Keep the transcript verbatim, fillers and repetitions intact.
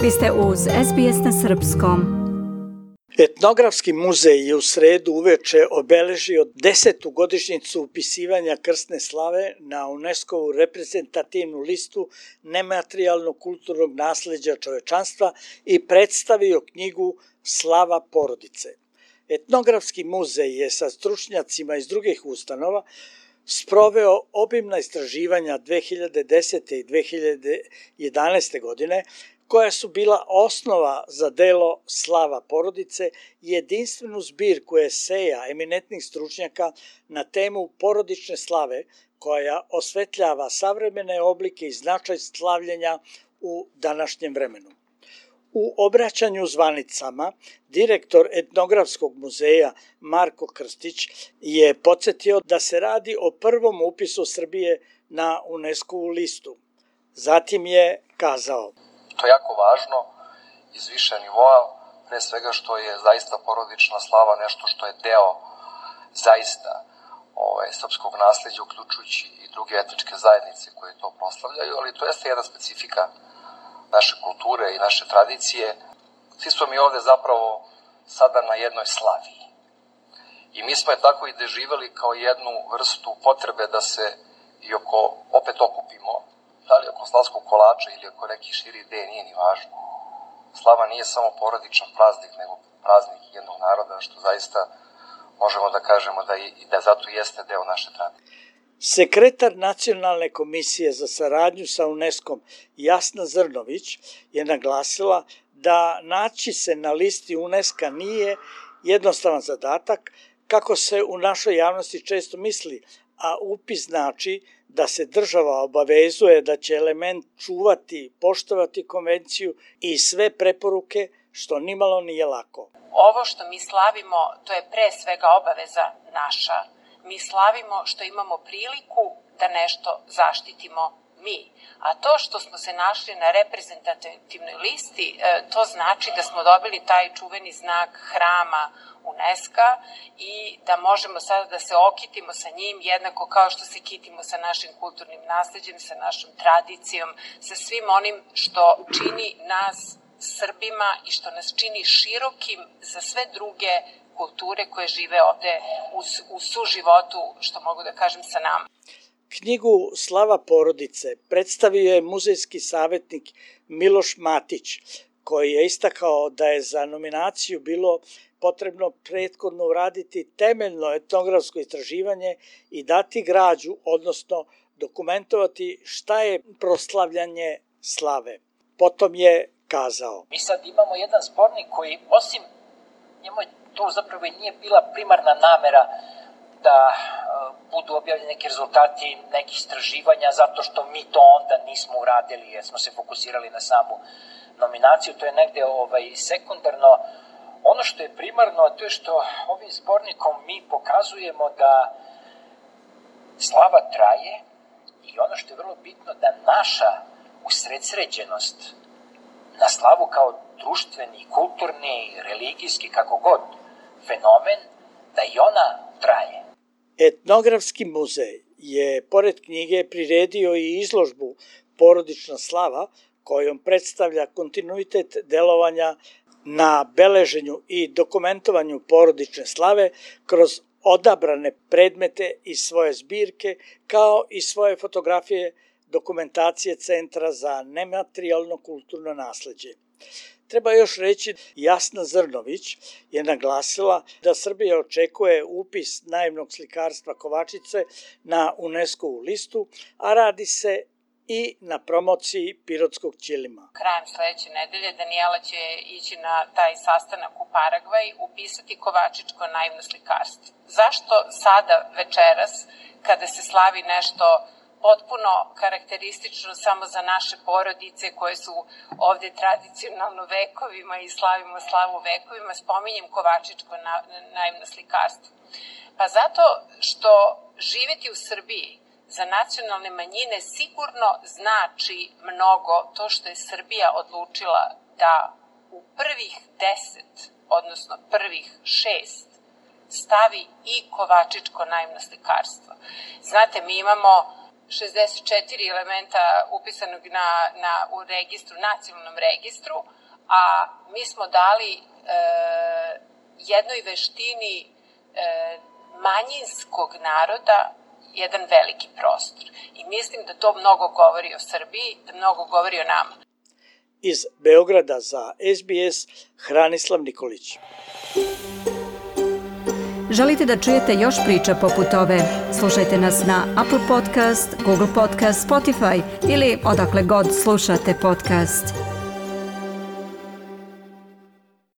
Vi ste uz S B S na srpskom. Etnografski muzej je u sredu uveče obeležio desetu godišnjicu upisivanja krsne slave na UNESCO-vu reprezentativnu listu nematerijalnog kulturnog nasleđa čovečanstva i predstavio knjigu Slava porodice. Etnografski muzej je sa stručnjacima iz drugih ustanova sproveo obimna istraživanja dve hiljade desete i dve hiljade jedanaeste godine, koja su bila osnova za delo Slava porodice i jedinstvenu zbirku eseja eminentnih stručnjaka na temu porodične slave, koja osvetljava savremene oblike i značaj slavljenja u današnjem vremenu. U obraćanju zvanicama, direktor Etnografskog muzeja Marko Krstić je podsjetio da se radi o prvom upisu Srbije na UNESCO-vu listu. Zatim je kazao: To je jako važno iz više nivoa, pre svega što je zaista porodična slava nešto što je deo zaista ovaj, srpskog nasleđa, uključujući i druge etničke zajednice koje to proslavljaju, ali to jeste jedna specifika naše kulture i naše tradicije. Svi smo mi ovde zapravo sada na jednoj slavi. I mi smo je tako i doživeli kao jednu vrstu potrebe da se i oko, opet okupimo, da li oko slavskog kolača ili oko nekih širi ideje, nije ni važno. Slava nije samo porodičan praznik, nego praznik jednog naroda, što zaista možemo da kažemo da, i, da zato jeste deo naše tradicije. Sekretar Nacionalne komisije za saradnju sa UNESCO-om Jasna Zrnović je naglasila da naći se na listi UNESCO-a nije jednostavan zadatak, kako se u našoj javnosti često misli, a upis znači da se država obavezuje da će element čuvati, poštovati konvenciju i sve preporuke, što nimalo nije lako. Ovo što mi slavimo, to je pre svega obaveza naša. Mi slavimo što imamo priliku da nešto zaštitimo mi. A to što smo se našli na reprezentativnoj listi, to znači da smo dobili taj čuveni znak hrama UNESCO-a i da možemo sada da se okitimo sa njim jednako kao što se kitimo sa našim kulturnim nasleđem, sa našom tradicijom, sa svim onim što čini nas Srbima i što nas čini širokim za sve druge kulture koje žive ovde u, u suživotu, što mogu da kažem, sa nama. Knjigu Slava porodice predstavio je muzejski savjetnik Miloš Matić, koji je istakao da je za nominaciju bilo potrebno prethodno uraditi temeljno etnografsko istraživanje i dati građu, odnosno dokumentovati šta je proslavljanje slave. Potom je kazao: Mi sad imamo jedan zbornik koji, osim njemu to zapravo i nije bila primarna namera da budu objavljeni neki rezultati nekih istraživanja, zato što mi to onda nismo uradili, jer smo se fokusirali na samu nominaciju, to je negde ovaj, sekundarno. Ono što je primarno, to je što ovim zbornikom mi pokazujemo da slava traje i ono što je vrlo bitno, da naša usredsređenost na slavu kao društveni, kulturni, religijski, kako god, fenomen, da i ona traje. Etnografski muzej je, pored knjige, priredio i izložbu Porodična slava, kojom predstavlja kontinuitet delovanja na beleženju i dokumentovanju porodične slave kroz odabrane predmete iz svoje zbirke, kao i svoje fotografije dokumentacije Centra za nematerijalno kulturno nasleđe. Treba još reći, Jasna Zrnović je naglasila da Srbija očekuje upis naivnog slikarstva Kovačice na UNESCO-vu listu, a radi se i na promociji pirotskog ćilima. Krajem sledeće nedelje Danijela će ići na taj sastanak u Paragvaj, upisati kovačičko naivno slikarstvo. Zašto sada, večeras, kada se slavi nešto potpuno karakteristično samo za naše porodice koje su ovde tradicionalno vekovima i slavimo slavu vekovima, spominjem kovačičko naivno slikarstvo? Pa zato što živeti u Srbiji za nacionalne manjine sigurno znači mnogo to što je Srbija odlučila da u prvih deset, odnosno prvih šest, stavi i kovačičko naivno slikarstvo. Znate, mi imamo šezdeset četiri elementa upisanog na, na, u registru, nacionalnom registru, a mi smo dali e, jednoj veštini e, manjinskog naroda jedan veliki prostor. I mislim da to mnogo govori o Srbiji, da mnogo govori o nama. Iz Beograda za S B S, Hranislav Nikolić. Želite da čujete još priča poput ove? Slušajte nas na Apple Podcast, Google Podcast, Spotify ili odakle god slušate podcast.